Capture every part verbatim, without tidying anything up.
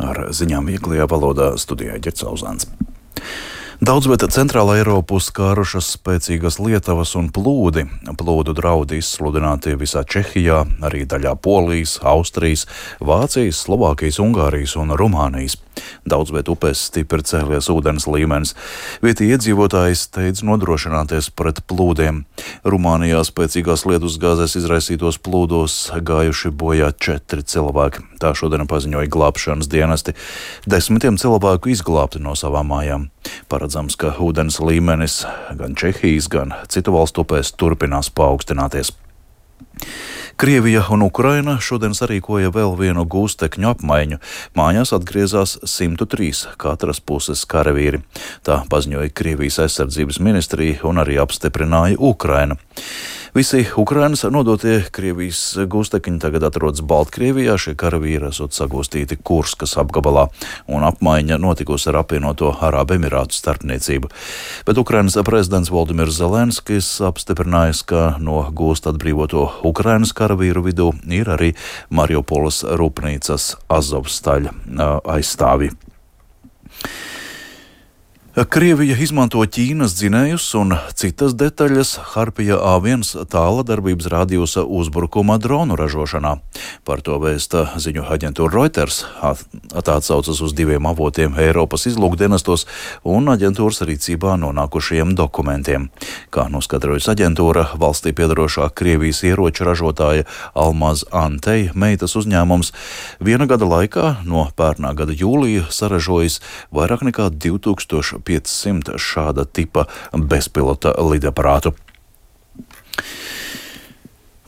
Ar ziņām vieglajā valodā studijā Ģerts Auzāns. Daudz vieta centrālā Eiropu skārušas spēcīgas lietavas un plūdi. Plūdu draudi izsludināti visā Čehijā, arī daļā Polijas, Austrijas, Vācijas, Slovākijas, Ungārijas un Rumānijas. Daudz vieta upēs stipri cēlies ūdens līmenis. Vietī iedzīvotāji steidz nodrošināties pret plūdiem. Rumānijā spēcīgās lietus gāzes izraisītos plūdos gājuši bojā četri cilvēki. Tā šodien paziņoja glābšanas dienesti. Desmitiem cilvēku izglābti no savām mājām. Paredzams, ka ūdens līmenis gan Čehijas, gan citu valstu upēs turpinās paaugstināties. Krievija un Ukraina šodien sarīkoja vēl vienu gūstekņu apmaiņu. Mājās atgriezās simt trīs katras puses karavīri. Tā paziņoja Krievijas aizsardzības ministrija un arī apstiprināja Ukraina. Visi Ukrainas nodotie Krievijas gūstekņi tagad atrodas Baltkrievijā. Šie karavīri esot sagūstīti Kurskas apgabalā, un apmaiņa notikusi ar apvienoto Arābu Emirātu starpniecību. Bet Ukrainas prezidents Voldimirs Zelenskis apstiprinājis, ka no gūst atbrīvoto Ukrainas karavīru vidū ir arī Mariupoles rūpnīcas Azovstaļa aizstāvji. Krievija izmanto Ķīnas dzinējus un citas detaļas Harpija A viens tāla darbības rādījusa uzbrukuma dronu ražošanā. Par to vēsta ziņu aģentūra Reuters. Tā atsaucas uz diviem avotiem Eiropas izlūkdienestos un aģentūras rīcībā nonākušajiem dokumentiem. Kā noskaidrojas aģentūra, valstī piedarošā Krievijas ieroču ražotāja Almaz Antey meitas uzņēmums viena gada laikā no pērnā gada jūlija saražojis vairāk nekā divi tūkstoši piecsimt šāda tipa bezpilota lidaparātu.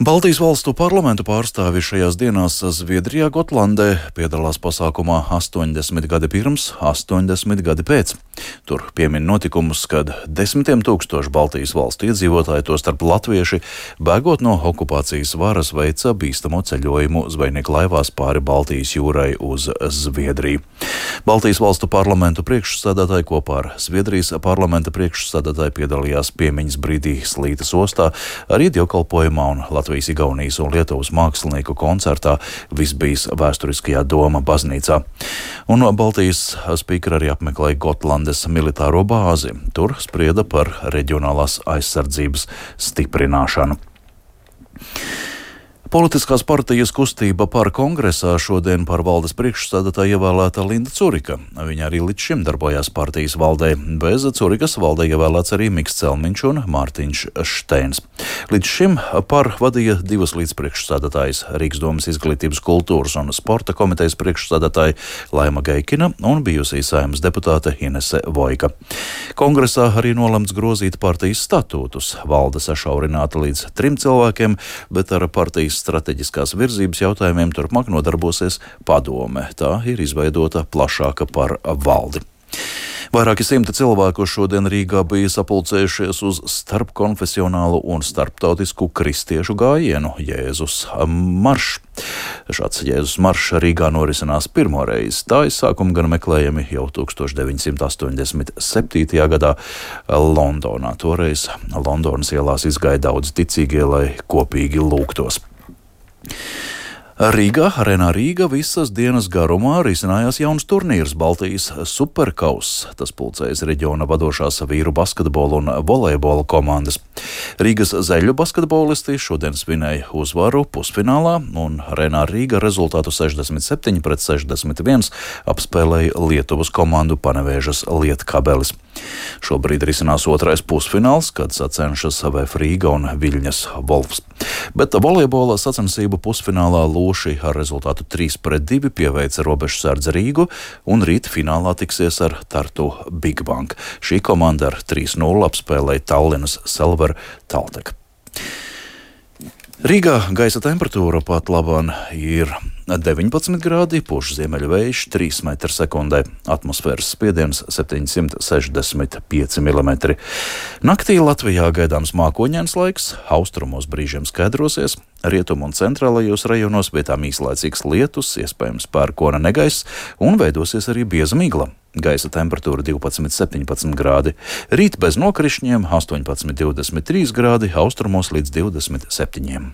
Baltijas valstu parlamentu pārstāvi šajās dienās Zviedrijā, Gotlandē piedalās pasākumā astoņdesmit gadi pirms, astoņdesmit gadi pēc. Tur piemin notikumus, kad desmitiem tūkstoši Baltijas valstu iedzīvotāji, tostarp latvieši, bēgot no okupācijas varas, veica bīstamo ceļojumu zvejnieku laivās pāri Baltijas jūrai uz Zviedriju. Baltijas valstu parlamentu priekšsēdētāji kopā ar Zviedrijas parlamenta priekšsēdētāji piedalījās piemiņas brīdī Slītas ostā, arī dievkalpojumā un Latvijas, Igaunijas un Lietuvas mākslinieku koncertā Visbijas vēsturiskajā Doma baznīcā. Un Baltijas spīkeri arī apmeklēja Gotlandes militāro bāzi. Tur sprieda par reģionālās aizsardzības stiprināšanu. Politiskās partijas kustība par kongresā šodien par valdes priekšsēdētāju ievēlēta Linda Curika. Viņa arī līdz šim darbojās partijas valdē. Bez Curikas valdē ievēlēts arī Miks Celmiņš un Mārtiņš Šteins. Līdz šim par vadīja divas līdzpriekšsēdētājas - Rīgas domas izglītības, kultūras un sporta komitejas priekšsēdētāja Laima Geikina un bijusī Saeimas deputāte Inese Vojka. Kongresā arī nolemts grozīt partijas statūtus. Valde sašaurināta līdz trim cilvēkiem, bet ar partijas strateģiskās virzības jautājumiem turpmāk nodarbosies padome. Tā ir izveidota plašāka par valdi. Vairāki simti cilvēku šodien Rīgā bija sapulcējušies uz starpkonfesionālu un starptautisku kristiešu gājienu Jēzus maršs. Šāds Jēzus maršs Rīgā norisinās pirmoreiz. Tā izsākuma gan meklējami jau tūkstoš deviņsimt astoņdesmit septītajā gadā Londonā. Toreiz Londonas ielās izgāja daudz ticīgie, lai kopīgi lūgtos. Rīgā, Arēnā Rīga visas dienas garumā risinājās jauns turnīrs Baltijas superkauss. Tas pulcējas reģiona vadošās vīru basketbola un volejbola komandas. Rīgas zeļu basketbolisti šodien svinēja uzvaru pusfinālā, un Arēnā Rīga rezultātu sešdesmit septiņi pret sešdesmit viens apspēlēja Lietuvas komandu Panevēžas Lietkabelis. Šobrīd risinās otrais pusfināls, kad sacenšas V F Rīga un Viļņas Volfs. Bet volejbola sacensību pusfinālā Lūši ar rezultātu trīs pret divi pieveica Robežsardze Rīgu, un rīt finālā tiksies ar Tartu Big Bang. Šī komanda ar trīs nulle apspēlēja Tallinas Selver Taltek. Rīgā gaisa temperatūra pat labāk ir deviņpadsmit grādi, puš ziemeļu vējš trīs metri sekundē, atmosfēras spiediens septiņsimt sešdesmit pieci milimetri. Naktī Latvijā gaidāms mākoņains laiks, austrumos brīžiem skaidrosies, rietumu un centrālajos rajonos vietām īslaicīgs lietus, iespējams pērkona negaiss un veidosies arī bieza migla. Gaisa temperatūra divpadsmit septiņpadsmit grādi, rīt bez nokrišņiem astoņpadsmit divdesmit trīs grādi, austrumos līdz divdesmit septiņiem.